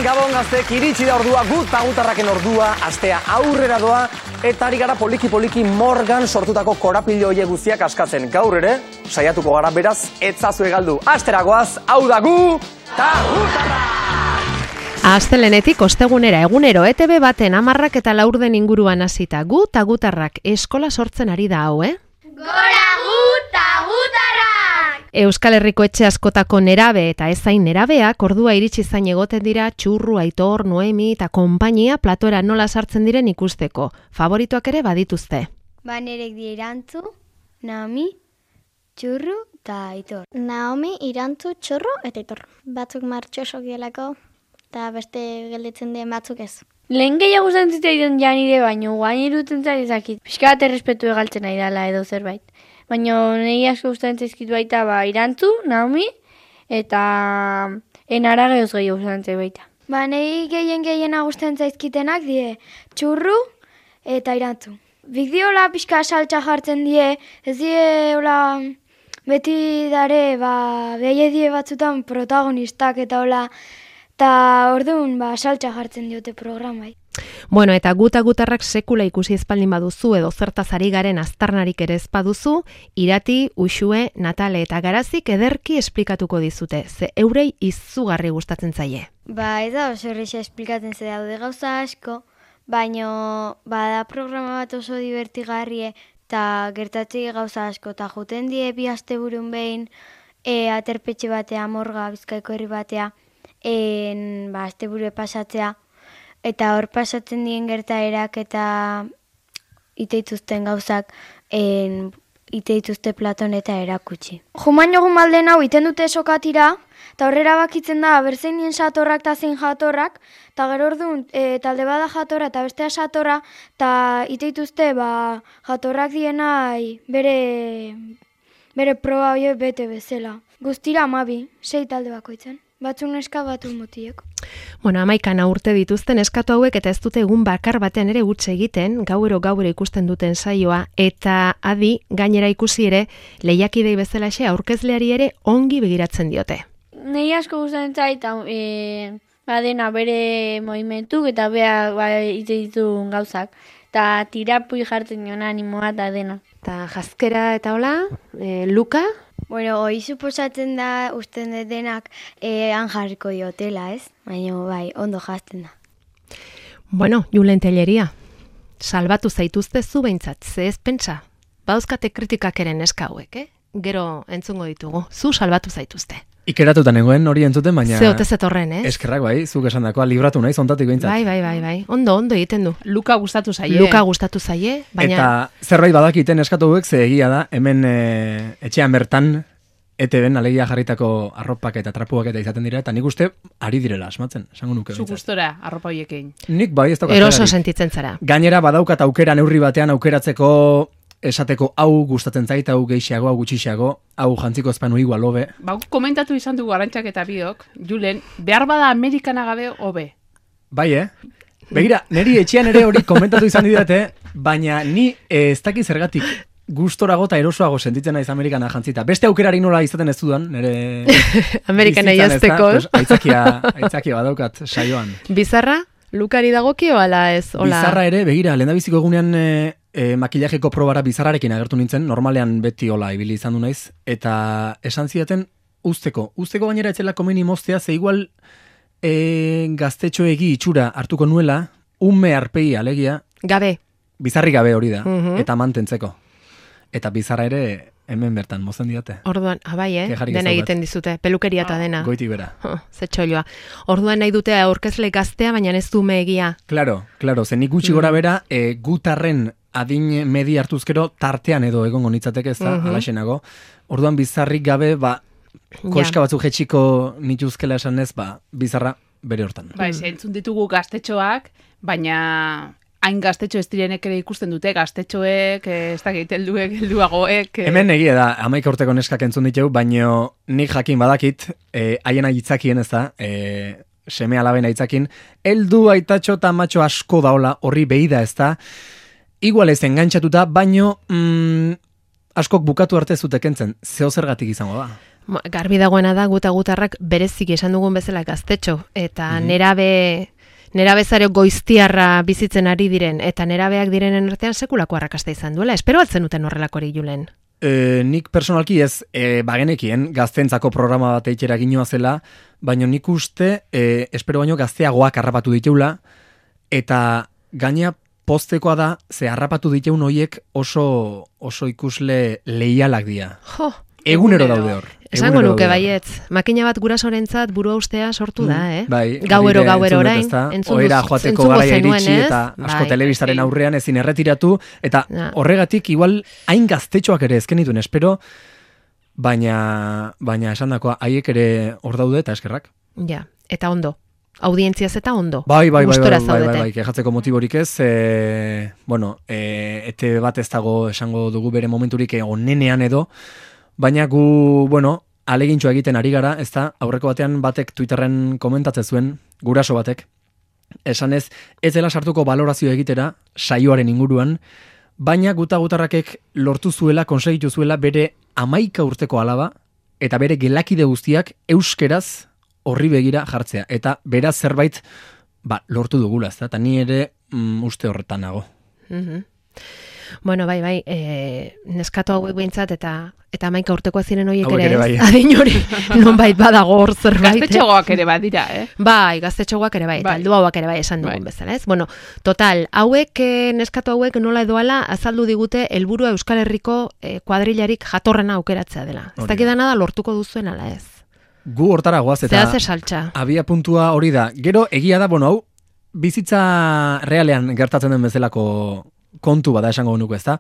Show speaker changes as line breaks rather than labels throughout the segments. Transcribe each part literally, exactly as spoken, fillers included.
Gabon gaztek, iritsi da ordua, gut eta gutarraken ordua, astea aurrera doa, eta ari gara poliki-poliki Morgan sortutako korapilo hoie guztiak askatzen. Gaur ere, saiatuko gara beraz, etzazue galdu. Asteragoaz, hau da gu, ta gutarra!
Astelenetik ostegunera egunero E T B baten hamarrak eta laurden inguruan hasita gu ta gutarrak eskola sortzen ari da hau, eh?
Gora gu ta gutarrak!
Euskal Herriko etxe askotako nerabe eta ezain nerabeak ordua iritsi zain egoten dira Txurru, Aitor, Noemi eta konpainia platora nola sartzen diren ikusteko. Favoritoak ere badituzte.
Ba nerek di Irantzu, Naomi, Txurru eta Aitor. Naomi, Irantzu, Txurru eta Aitor. Batzuk martxosok dielako. Eta beste gelditzen den batzuk ez.
Lehen gehiago gustatzen zitzaidan ja nire baino, guain irutzen zari zakit. Pixka bat errespetu egaltzen ari dela edo zerbait. Baina nire asko gustatzen zaizkitu baita ba, Irantzu, Naomi, eta Enara gehoz gehiago gustatzen baita.
Ba nire gehien gehiena gustatzen zaizkitenak die Txurru eta Irantzu. Bik diola pixka saltza jartzen die, ez die hola beti dare ba, behi die batzutan protagonistak eta hola. Eta orduan, ba, saltza jartzen diote programai.
Bueno, eta guta gutarrak sekula ikusi ezpaldin baduzu edo zertaz ari garen aztarnarik ere ez baduzu, Irati, Uxue, Natale eta Garazik ederki esplikatuko dizute, ze eurei izugarri gustatzen zaie.
Ba, ez da oso erresa esplikatzen ze daude gauza asko, baino bada programa bat oso divertigarrie eta gertatzi gauza asko, eta juten die bi asteburun behin e, aterpetxe batea, Morga, Bizkaiko herri batea, en ba asteburu pasatzea eta hor pasatzen dien gertaerak eta iteituzten gauzak en iteituzte Platon eta erakutsi. Jumaino gumalden hau iten dute sokatira eta horrera bakitzen da berzein nien satorrak eta zein jatorrak eta gero orduan e, talde bada jatorra eta bestea satorra eta iteituzte ba jatorrak dienai bere bere proba hoe bete bezala. Guztira hamabi, sei talde bakoitzen. Batzuk neska batu motiek.
Bueno, amaikana urte dituzten eskatu hauek eta ez dute egun bakar batean ere huts egiten, gauero gauero ikusten duten saioa, eta adi gainera ikusi ere lehiakidei bezalaxe aurkezleari ere ongi begiratzen diote.
Nei asko gustatzen zait, e, badena bere movimentuk eta bea ba, ite ditu gauzak. Eta tirapui jartzen nion animoa eta dena.
Eta jazkera eta hola, e, Luka?
Bueno, hoi suposatzen da usten dut denak eh, han jarriko diotela, ez? Baina bai, ondo jazten da.
Bueno, Julen Telleria, salbatu zaituzte zu behintzat, ze ez pentsa. Badauzkate kritikak eren eska hauek, eh? Gero entzungo ditugu, zu salbatu zaituzte.
Ikeratuta nengoen hori entzuten, baina...
Ze otez etorren, ez?
Eskerrak bai, zuk esan dakoa, libratu nahi, zontatik behintzat.
Bai, bai, bai, bai, ondo, ondo egiten du.
Luka gustatu zaie.
Luka gustatu zaie, baina...
Eta zerbait badakiten eskatu hauek, ze egia da, hemen e, etxean bertan, E T B-en alegia jarritako arropak eta trapuak eta izaten dira, eta nik uste ari direla asmatzen, esango nuke
Zu
behintzat.
gustora arropa hoiekin.
Nik bai ez daukat.
Eroso sentitzen zara.
Gainera badaukat aukera neurri batean aukeratzeko esateko hau gustatzen zait, hau gehiago, hau gutxiago, hau jantziko ezpanu igual hobe.
Ba, komentatu izan dugu Arantxak eta biok, Julen, behar bada Amerikana gabe hobe.
Bai, eh? Begira, niri etxean ere hori komentatu izan didate, baina ni eh, ez dakiz zergatik gustorago eta erosoago sentitzen naiz Amerikana jantzita. Beste aukerari nola izaten ez dudan, nire...
Amerikana jazteko.
Pues, aitzakia, aitzakia badaukat saioan.
Bizarra? Lukari dagokio ala ez? Ola...
Bizarra ere, begira, lehendabiziko egunean e, e, makillajeko probara bizarrarekin agertu nintzen, normalean beti hola ibili izan du naiz, eta esan zidaten usteko. Usteko gainera etzela komeni moztea, ze igual e, gaztetxoegi itxura hartuko nuela, ume arpei alegia.
Gabe.
Bizarri gabe hori da,
Mhm.
eta mantentzeko. Eta bizarra ere hemen bertan mozen diote.
Orduan, abai, eh?
Kejarik ez
Dena
daukat.
egiten dizute, pelukeria eta dena.
Goiti bera.
Oh, ze txoilua. Orduan nahi dute aurkezle gaztea, baina ez du egia.
Claro, claro, zen nik gutxi gora bera, e, gutarren adin medi hartuzkero tartean edo egongo nitzateke ez da,
Mhm.
alaxenago. Orduan bizarrik gabe, ba, koska batzuk jetxiko nituzkela esan ez, ba, bizarra bere hortan.
Ba, ez, entzun ditugu gaztetxoak, baina hain gaztetxo ez direnek ere ikusten dute, gaztetxoek, eh, ez dakit, helduek, helduagoek... Eh.
Hemen egia da, hamaika urteko neskak entzun ditugu, baino nik jakin badakit, eh, haien aitzakien ez da, eh, seme alaben aitzakin, heldu aitatxo eta matxo asko daola, horri behi da ez da, igual ez engantzatuta, baino mm, askok bukatu arte zute kentzen, zeo zergatik izango da.
Garbi dagoena da guta gutarrak bereziki esan dugun bezala gaztetxo, eta
Mhm.
nerabe nerabezareo goiztiarra bizitzen ari diren, eta nerabeak direnen artean sekulako arrakasta izan duela. Espero altzen duten horrelakori Julen.
E, nik personalki ez, e, bagenekien gaztentzako programa bat eitxera ginoa zela, baina nik uste, e, espero baino gazteagoak harrapatu diteula, eta gaina poztekoa da, ze harrapatu diteun hoiek oso, oso ikusle leialak dira.
Jo,
Egunero
Egunero.
daude hor.
esango
Egunero
nuke
daude hor.
baietz. Makina bat gurasorentzat burua ustea sortu da, eh?
Bai,
Gauero,
hori ere
gauero
entzun dut,
orain.
ezta?
entzun
Ohera
duz-
joateko
entzungo
garaia
zenuen,
iritsi
ez?
eta asko
Bai.
telebistaren
bai.
aurrean ezin erretiratu, eta
Ja.
horregatik igual hain gaztetxoak ere ezken dituen espero, baina, baina esan dakoa, haiek ere hor daude eta eskerrak.
Ja, eta ondo. Audientziaz eta ondo.
Bai, bai, bai, bai,
Gustora
bai, bai,
zaudete.
bai, kejatzeko motiborik ez, e, bueno, e, ete bat ez dago esango dugu bere momenturik onenean edo, baina gu, bueno, alegintxo egiten ari gara, ez da, aurreko batean batek Twitterren komentatzen zuen, guraso batek, esanez, ez dela sartuko balorazio egitera, saioaren inguruan, baina guta gutarrakek lortu zuela, konsegitu zuela bere amaika urteko alaba, eta bere gelakide guztiak euskeraz horri begira jartzea. Eta beraz zerbait ba, lortu dugula, ez da? Eta ni ere mm, uste horretan nago.
Mhm. Bueno, bai, bai, e, neskato hauek behintzat eta eta hamaika urtekoak ziren horiek
Hauek
ere,
ere
ez?
bai.
Adin hori, nonbait badago hor zerbait. eh?
Gaztetxoak ere badira, eh?
Bai, gaztetxoak ere bai, eta
Bai.
heldu hauak ere bai esan dugun
Bai.
bezala, ez? Bueno, total, hauek, eh, neskato hauek nola edoala azaldu digute helburua Euskal Herriko eh, kuadrilarik jatorrena aukeratzea dela. Ez
Hori
dakidana da lortuko duzuen ala ez.
Gu hortara goaz eta
Zehaz esaltza.
abia puntua hori da. Gero egia da, bueno, hau, bizitza realean gertatzen den bezalako kontu bada esango nuke, ez da?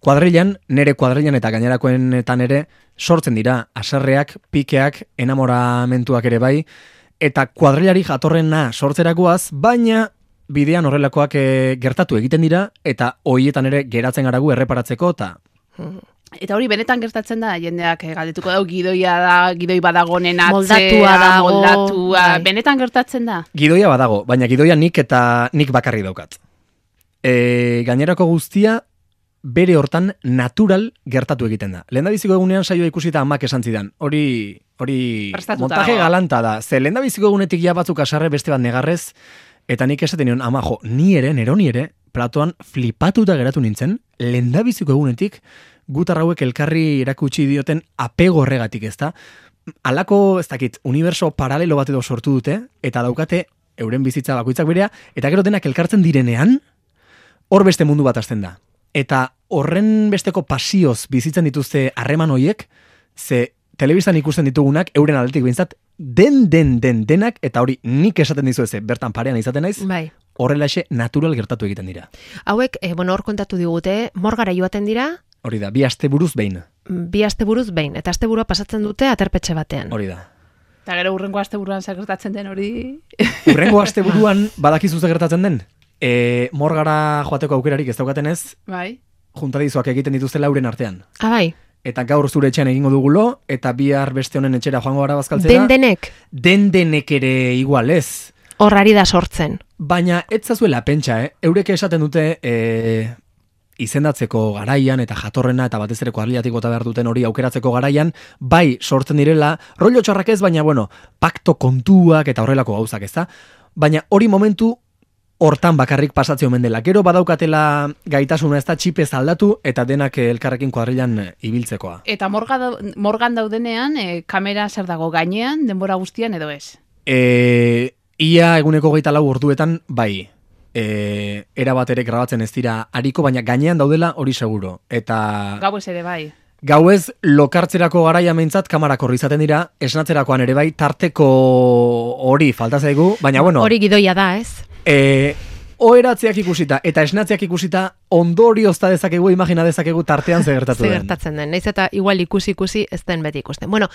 Kuadrilan, nere kuadrilan eta gainerakoenetan ere sortzen dira haserreak, pikeak, enamoramentuak ere bai, eta kuadrilari jatorrena sortzerakoaz, baina bidean horrelakoak eh, gertatu egiten dira, eta hoietan ere geratzen garagu erreparatzeko, eta
Eta hori benetan gertatzen da, jendeak eh, galdetuko dau, gidoia da, gidoi badagonen atzea,
Moldatua dago,
moldatua,
bai.
benetan gertatzen da.
gidoia badago, baina gidoia nik eta nik bakarri daukat. E, gainerako guztia bere hortan natural gertatu egiten da. Lehendabiziko egunean saioa ikusita amak esan zidan. Hori hori
Prestatuta
montaje
dago.
galanta da. Ze lehendabiziko egunetik ja batzuk asarre beste bat negarrez, eta nik esaten nion, ama jo, ni ere, neroni ere, platoan flipatuta geratu nintzen, lehendabiziko egunetik gutarrauek elkarri erakutsi dioten apego horregatik, ezta? Halako, ez dakit, uniberso paralelo bat edo sortu dute, eta daukate euren bizitza bakoitzak berea, eta gero denak elkartzen direnean, hor beste mundu bat hasten da. Eta horren besteko pasioz bizitzen dituzte harreman hoiek, ze telebistan ikusten ditugunak, euren aldetik behintzat, den, den, den, denak, eta hori nik esaten dizu eze, bertan parean izaten naiz,
Bai.
horrelaxe natural gertatu egiten dira.
Hauek, eh, bueno, hor kontatu digute, morgara joaten dira,
Hori da, bi aste buruz behin,
bi asteburuz behin, eta asteburua pasatzen dute aterpetxe batean.
hori da.
Eta gero urrengo asteburuan zer gertatzen den hori...
Urrengo aste buruan, badakizu zer gertatzen den? E, morgara joateko aukerarik ez daukaten ez,
Bai.
juntadizoak egiten dituzte lauren artean.
Ah, bai,
Eta gaur zure etxean egingo dugulo, eta bihar beste honen etxera joango gara bazkaltzera.
den denek
Den denek ere igual ez.
horrari da sortzen.
Baina ez zazuela pentsa, eh? Eurek esaten dute e, izendatzeko garaian eta jatorrena eta batez ere kuadrilatik bota behar duten hori aukeratzeko garaian, bai sortzen direla, rollo txarrak ez, baina bueno, pakto kontuak eta horrelako gauzak, ez da? Baina hori momentu hortan bakarrik pasatzea omen dela. Gero badaukatela gaitasuna ez da txipez aldatu eta denak elkarrekin kuadrilan ibiltzekoa.
Eta morga dau- morgan daudenean, eh, kamera zer dago gainean, denbora guztian edo ez?
E, ia eguneko geita lau orduetan, bai, e, era bat ere grabatzen ez dira hariko, baina gainean daudela hori seguro. Eta
Gauez ere bai.
gauez lokartzerako garaia meintzat kamarak horri izaten dira, esnatzerakoan ere bai, tarteko hori falta zaigu, baina bueno,
Hori gidoia da, ez?
e, oheratzeak ikusita eta esnatzeak ikusita ondoriozta dezakegu, imagina dezakegu tartean ze gertatu
Ze
den.
gertatzen den. Naiz eta igual ikusi ikusi ez den beti ikusten. Bueno,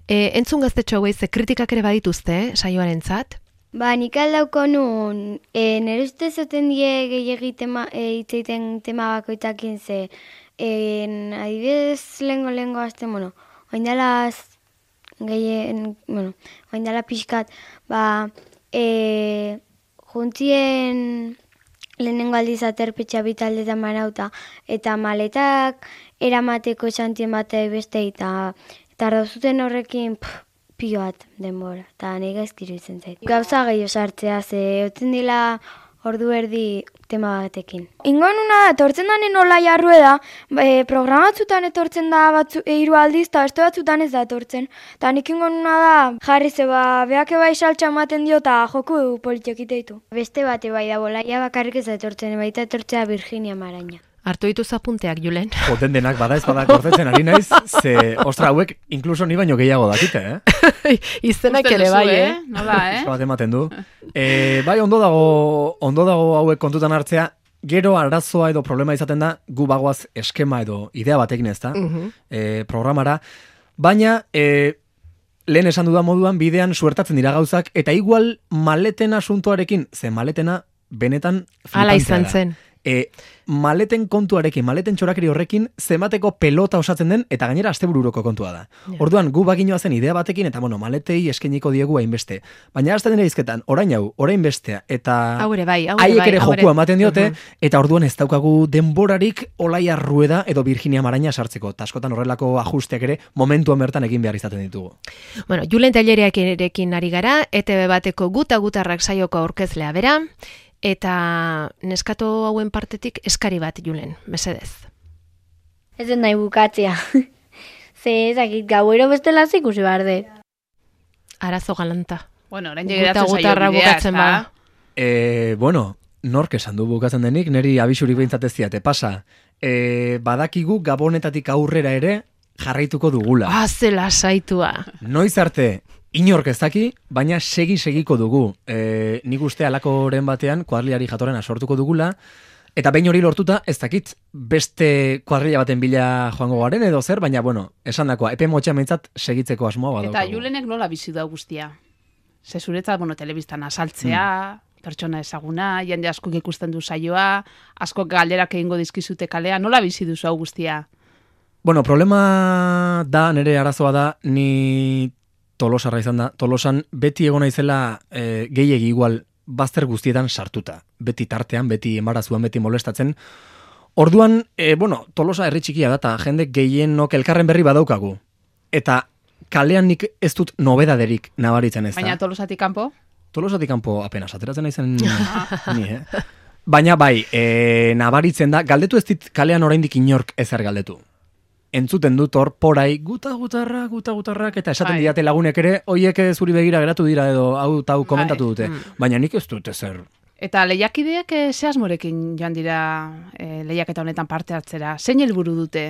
e, entzun gaztetxo hauei ze kritikak ere badituzte, eh, saioarentzat.
Ba, nik aldauko nun, e, nire uste zoten die gehiagi tema, e, itzeiten tema bakoitakin ze, e, adibidez lengo lengo azten, bueno, oindala gehien, bueno, oindala pixkat, ba, e, juntzien lehenengo aldiz aterpetxa bitaldetan manauta, eta maletak eramateko esantien bate beste, eta Eta dauzuten horrekin pff, pilo bat denbora, eta nahi gaizkiru izan zait. Gauza gehiago sartzea, ze otzen dila ordu erdi tema batekin.
Ingonuna etortzen danen nola jarrue da, e, programatzutan etortzen da batzu, e, hiru aldiz, eta beste batzutan ez da etortzen. Eta nik ingonuna da, jarri zeba, beak bai saltxa ematen dio, eta joku politiokite ditu.
Beste bate bai da, bolaia bakarrik ez da etortzen, baita etortzea Virginia Maraña.
Hartu dituz apunteak, Julen.
Joten denak bada ez bada gordetzen ari naiz, ze, ostra, hauek inkluso ni baino gehiago dakite, eh?
Izenak ere bai, eh?
Nola, eh?
Bat ematen du. E, bai, ondo dago, ondo dago hauek kontutan hartzea, gero arazoa edo problema izaten da, gu bagoaz eskema edo idea batekin ez da,
Mhm.
e, programara, baina e, lehen esan dudan moduan bidean suertatzen dira gauzak, eta igual maleten asuntoarekin, ze maletena benetan
Hala
flipantea
izan
da.
zen.
E, maleten kontuarekin, maleten txorakeri horrekin, zemateko pelota osatzen den, eta gainera astebururoko kontua da.
Ja.
Orduan, gu baginoa zen idea batekin, eta bueno, maletei eskeniko diegu hainbeste. Baina hasten dira izketan, orain hau, orain bestea, eta
Hau ere bai, hau ere
haiek
bai.
ere
hau ere-
jokua ematen diote,
Mhm.
eta orduan ez daukagu denborarik Olaia Rueda edo Virginia Maraña sartzeko. Ta askotan horrelako ajusteak ere momentuan bertan egin behar izaten ditugu.
Bueno, Julen Tailerekin ari gara, E T B bateko guta gutarrak saioko aurkezlea bera, eta neskato hauen partetik eskari bat, Julen, mesedez.
Ez den nahi bukatzea. Ze ezakit gauero bestela ikusi behar dut.
Arazo galanta.
Bueno, orain
Guta
jegeratzen zaio
gutarra
bidea,
bukatzen
ezta?
bada.
E, bueno, nork esan du bukatzen denik, niri abisurik behintzat ez diate, pasa. E, badakigu gabonetatik aurrera ere jarraituko dugula.
Ah, zela saitua.
Noiz arte, inork ez daki, baina segi-segiko dugu. E, nik uste alakoren batean, kuadrillari jatorrena sortuko dugula, eta behin hori lortuta, ez dakit, beste kuadrilla baten bila joango garen edo zer, baina, bueno, esan dakoa, epe motxea meintzat segitzeko asmoa badaukagu.
Eta Julenek nola bizi da guztia? Ze zuretzat, bueno, telebistan asaltzea, pertsona ezaguna, jende askok ikusten du saioa, askok galderak egingo dizkizute kalea, nola bizi duzu hau guztia?
Bueno, problema da, nire arazoa da, ni Tolosarra izan da. Tolosan beti egon naizela e, gehiegi igual bazter guztietan sartuta. Beti tartean, beti embarazuan, beti molestatzen. Orduan, e, bueno, Tolosa herri txikia da, eta jende gehienok elkarren berri badaukagu. Eta kalean nik ez dut nobedaderik nabaritzen ez da.
Baina Tolosatik kanpo?
Tolosatik kanpo apenas ateratzen naizen ni, eh? Baina bai, e, nabaritzen da, galdetu ez dit kalean oraindik inork ezer galdetu. Entzuten dut hor porai guta gutarra, guta gutarrak, eta esaten
Bai.
didate lagunek ere, hoiek zuri begira geratu dira edo hau eta hau komentatu
Bai.
dute. Baina nik ez dut ezer.
Eta lehiakideak eh, ze asmorekin joan dira eh, lehiaketa honetan parte hartzera? Zein helburu dute?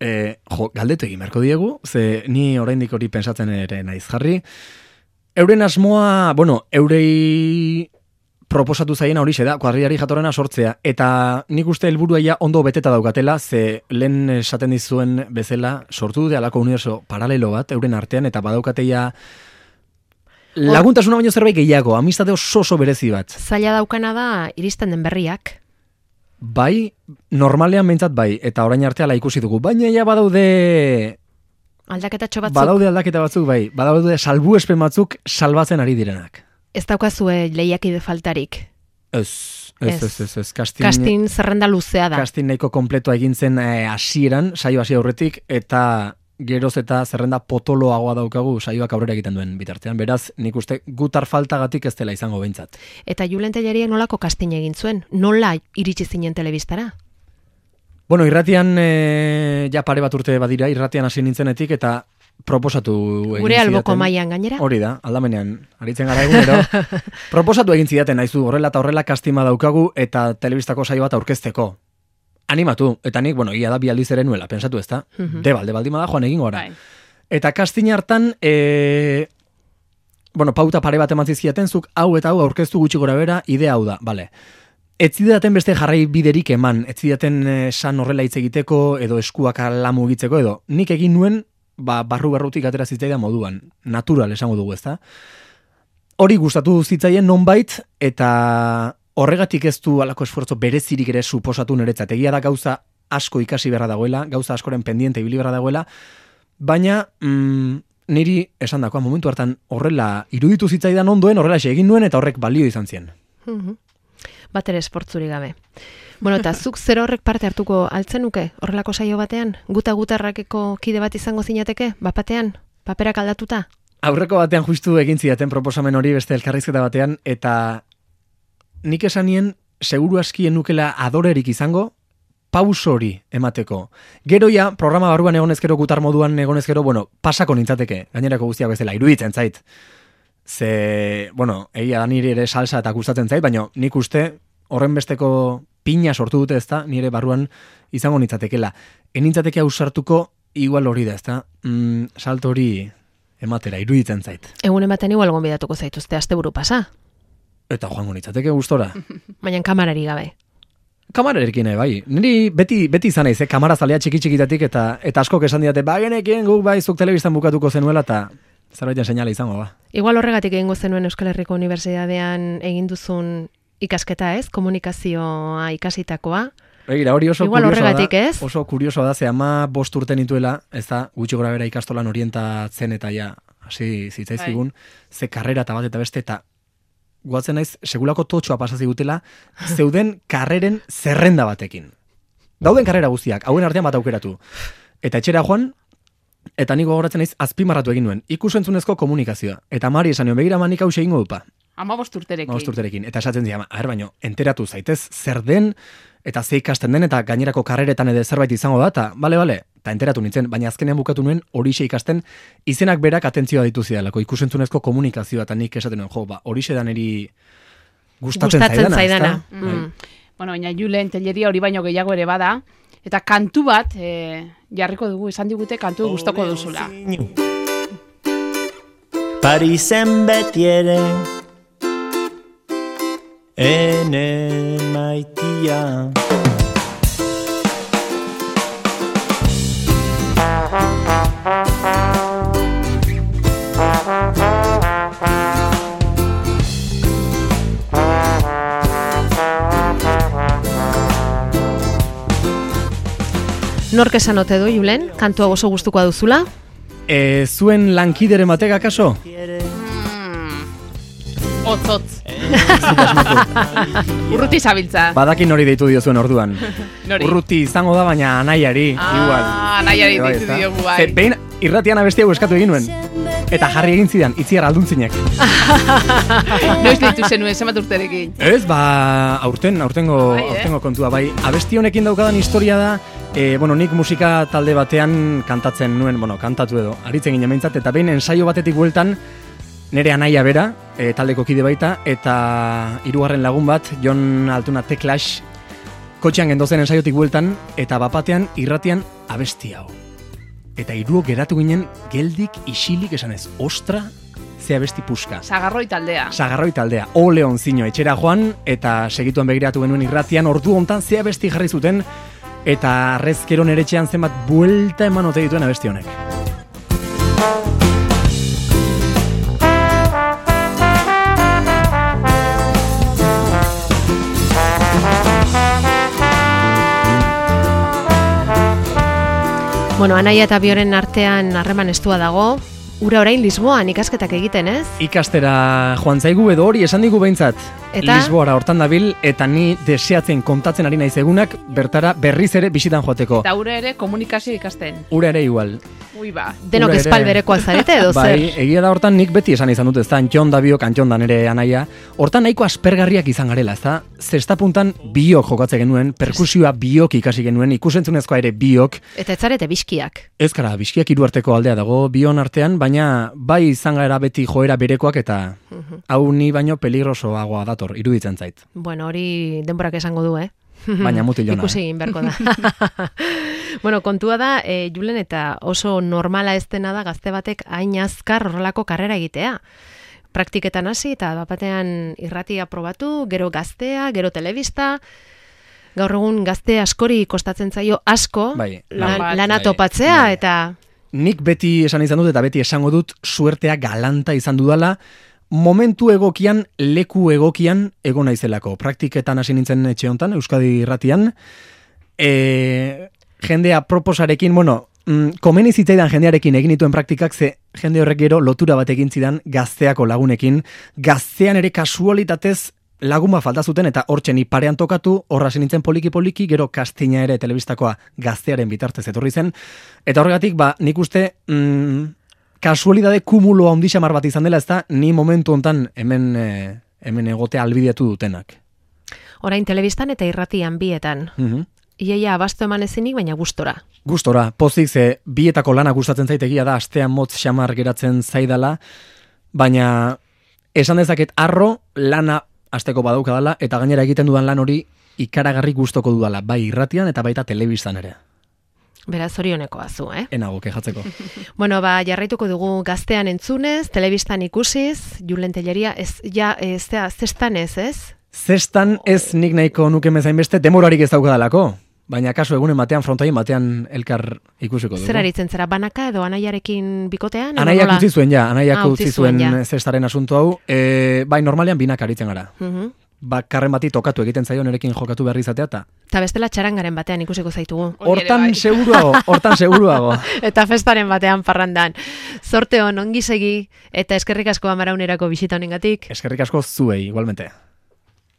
E, jo, galdetu egin beharko diegu, ze ni oraindik hori pensatzen ere naiz jarri. Euren asmoa, bueno, eurei proposatu zaiena horixe da, kuadrillari jatorrena sortzea, eta nik uste helburua ja ondo beteta daukatela, ze lehen esaten dizuen bezala sortu dute alako universo paralelo bat, euren artean, eta badaukateia laguntasuna baino zerbait gehiago, amistate oso oso berezi bat.
Zaila daukana da iristen den berriak.
Bai, normalean behintzat bai, eta orain arteala ikusi dugu, baina ja badaude
Aldaketatxo batzuk.
badaude aldaketa batzuk bai, badaude salbuespen batzuk salbatzen ari direnak.
Ez daukazue lehiakide faltarik.
Ez, ez,
Ez.
ez, ez, ez, kastin,
Kastin zerrenda luzea da.
kastin nahiko kompletua egin zen eh, hasieran, saio hasi aurretik, eta geroz eta zerrenda potoloagoa daukagu saioak aurrera egiten duen bitartean. Beraz, nik uste gutar faltagatik ez dela izango behintzat.
Eta Julen Telleriak nolako kastin egin zuen? Nola iritsi zinen telebistara?
Bueno, irratian eh, ja pare bat urte badira, irratian hasi nintzenetik, eta proposatu egin
Gure alboko
zidaten.
mailan gainera?
Hori da, aldamenean, aritzen gara egunero. Proposatu egin zidaten, naizu, horrela eta horrela kastima daukagu, eta telebistako saio bat aurkezteko. Animatu, eta nik, bueno, ia da bi aldiz ere nuela, pensatu ez da.
Mhm.
Debalde baldima da, joan egin gora.
Bai.
Eta kastin hartan, e, bueno, pauta pare bat eman zizkiaten, zuk hau eta hau aurkeztu gutxi gora bera, idea hau da, bale. Ez zidaten beste jarrai biderik eman, ez zidaten esan horrela hitz egiteko, edo eskuak ala mugitzeko, edo nik egin nuen, ba, barru barrutik atera zitzaidan moduan, natural esango dugu, ezta? Hori gustatu zitzaien nonbait, eta horregatik ez du alako esfuerzo berezirik ere suposatu niretzat. Egia da gauza asko ikasi beharra dagoela, gauza askoren pendiente ibili beharra dagoela, baina mm, niri esan dakoa momentu hartan horrela iruditu zitzaidan ondoen, horrela egin nuen eta horrek balio izan zien.
Mhm. bat ere esportzuri gabe. Bueno, eta zuk zer horrek parte hartuko altzenuke horrelako saio batean? Guta gutarrakeko kide bat izango zinateke, bapatean, paperak aldatuta?
Aurreko batean justu egin zidaten proposamen hori beste elkarrizketa batean, eta nik esanien seguru askien nukela adorerik izango, pauso hori emateko. Gero ja, programa barruan egonez gero, gutar moduan egonez gero, bueno, pasako nintzateke, gainerako guztiak bezala, iruditzen zait. Ze, bueno, egia da nire ere salsa eta gustatzen zait, baina nik uste horren besteko pina sortu dute ezta, nire barruan izango nintzatekela. Enintzateke ausartuko igual hori da, ezta? Mm, salto hori ematera, iruditzen zait.
Egun ematen igual gonbidatuko zaituzte asteburu pasa.
Eta joango nintzateke gustora.
Baina kamarari gabe.
Kamararekin bai. Niri beti beti izan naiz, eh? Kamara zalea txiki txikitatik eta eta askok esan didate, ba genekien guk bai zuk telebistan bukatuko zenuela eta zerbaiten seinale izango ba.
Igual horregatik egingo zenuen Euskal Herriko Unibertsitatean egin duzun ikasketa, ez? Komunikazioa ikasitakoa.
Begira, hori oso
Igual
kuriosoa
horregatik,
da.
ez?
Oso kuriosoa da, ze ama bost urte nituela, ez da, gutxi gora bera ikastolan orientatzen eta ja, hasi zitzaizkigun, ze karrera eta bat eta beste, eta guatzen naiz, segulako totxoa pasazi gutela, zeuden karreren zerrenda batekin. Dauden karrera guztiak, hauen artean bat aukeratu. Eta etxera joan, eta niko gogoratzen naiz, azpimarratu egin nuen, ikusentzunezko komunikazioa. Eta Mari esan nuen, begira manik hau egingo dupa.
Amabost urterekin.
Amabost urterekin. Eta esatzen dira, aher baino, enteratu zaitez zer den, eta ze ikasten den, eta gainerako karreretan edo zerbait izango da, eta bale, bale, eta enteratu nintzen, baina azkenean bukatu nuen horixe ikasten, izenak berak atentzioa ditu zidalako, ikusentzunezko komunikazioa, eta nik esaten nuen, jo, ba, horixe da niri gustatzen,
gustatzen
zaidana.
zaidana.
ezta?
Mm.
Bueno, baina Julen telleria hori baino gehiago ere bada, eta kantu bat e, jarriko dugu, esan digute kantu gustoko duzula.
Parisen beti ere ene maitia.
Nork esan ote du, Julen, kantua oso gustukoa duzula?
E, zuen lankideren batek akaso?
Otzotz. Urruti zabiltza.
Badakin hori deitu dio zuen orduan.
Nori?
Urruti izango da, baina anaiari, igual.
Ah, anaiari
Bai,
deitu
ezta?
diogu bai.
Ze, behin irratian abesti hau eskatu egin nuen. Eta jarri egin zidan, itziar alduntzinek.
Noiz deitu zenuen, zenbat urterekin.
Ez, ba, aurten, aurtengo,
Bai, eh?
aurtengo kontua, bai. Abesti honekin daukadan historia da, e, bueno, nik musika talde batean kantatzen nuen, bueno, kantatu edo, aritzen ginen behintzat, eta behin ensaio batetik bueltan, nere anaia bera, e, taldeko kide baita, eta hirugarren lagun bat, Jon Altuna The Clash, kotxean gendozen ensaiotik bueltan, eta bapatean irratian abesti hau. Eta hiruok geratu ginen geldik isilik esanez, ostra, ze abesti puska.
Sagarroi taldea.
Sagarroi taldea, ole onzino etxera joan, eta segituan begiratu genuen irratian, ordu hontan ze abesti jarri zuten, eta arrezkero nere etxean zenbat buelta eman ote dituen abesti honek.
Bueno, Anaia eta Bioren artean harreman estua dago. Ura orain Lisboan ikasketak egiten, ez?
Ikastera joan zaigu edo hori esan digu behintzat.
Eta?
Lisboara hortan dabil, eta ni deseatzen kontatzen ari naiz egunak bertara berriz ere bisitan joateko.
Eta ura ere komunikazio ikasten.
Ura ere igual.
Ui ba.
Denok
Ura ere-
espalberekoa zarete edo zer?
Bai, egia da hortan nik beti esan izan dut, ez da, Antxon da biok, Antxon da nere anaia. Hortan nahiko aspergarriak izan garela, ez da, zesta puntan biok jokatze genuen, perkusioa biok ikasi genuen, ikusentzunezkoa ere biok.
Eta ez zarete biskiak.
Ez gara, bizkiak hiru arteko aldea dago bion artean, baina bai izan gara beti joera berekoak eta hau ni baino peligrosoagoa dator, iruditzen zait.
Bueno, hori denborak esango du, eh?
Baina mutilona.
Ikusi egin beharko da. Bueno, kontua da, e, Julen, eta oso normala ez dena da gazte batek hain azkar horrelako karrera egitea. Praktiketan hasi eta bapatean irratia probatu, gero gaztea, gero telebista. Gaur egun gazte askori kostatzen zaio asko
Bai,
lan,
bai.
lana
Bai,
topatzea
bai.
eta
Nik beti esan izan dut eta beti esango dut suertea galanta izan dudala, momentu egokian, leku egokian egon naizelako. Praktiketan hasi nintzen etxe hontan, Euskadi irratian, e, jendea proposarekin, bueno, mm, komeni zitzaidan jendearekin egin dituen praktikak, ze jende horrek gero lotura bat egin zidan gazteako lagunekin, gaztean ere kasualitatez laguma falta zuten eta hortxe ni parean tokatu, horra nintzen poliki-poliki, gero Kastina ere telebistakoa gaztearen bitartez etorri zen, eta horregatik, ba, nik uste, mm, kasualidade kumulo handi xamar bat izan dela, ez da, ni momentu hontan hemen, e, hemen egotea albideatu dutenak.
Orain telebistan eta irratian bietan.
Mhm.
Iaia abasto eman ezinik, baina gustora.
Gustora, pozik ze bietako lana gustatzen zaitegia da, astean motz xamar geratzen zaidala, baina esan dezaket arro lana asteko badaukadala, eta gainera egiten dudan lan hori ikaragarri gustoko dudala, bai irratian eta baita telebistan ere.
Beraz, zorionekoa zu, eh?
Enago, kejatzeko.
Bueno, ba, jarraituko dugu gaztean entzunez, telebistan ikusiz, Julen Telleria, ez, ja, ez, zestan ez, ez?
Zestan ez nik nahiko nuke mezain beste, demorarik ez daukadalako. Baina kasu egunen batean, frontoien batean elkar ikusiko dugu.
Zer aritzen zera, banaka edo anaiarekin bikotean?
Anaiak utzi zuen, ja. Anaiak
ah,
utzi zuen zestaren asunto hau. E, bai, normalean binak aritzen gara. Uh -huh. Bakarren bati tokatu egiten zaio nerekin jokatu behar izatea, eta...
Eta bestela txarangaren batean ikusiko zaitugu.
Hortan seguruago, hortan seguruago.
Eta festaren batean parrandan. Zorte hon, ongi segi, eta eskerrik asko Amaraunerako bisita honengatik.
Eskerrik asko zuei, igualmente.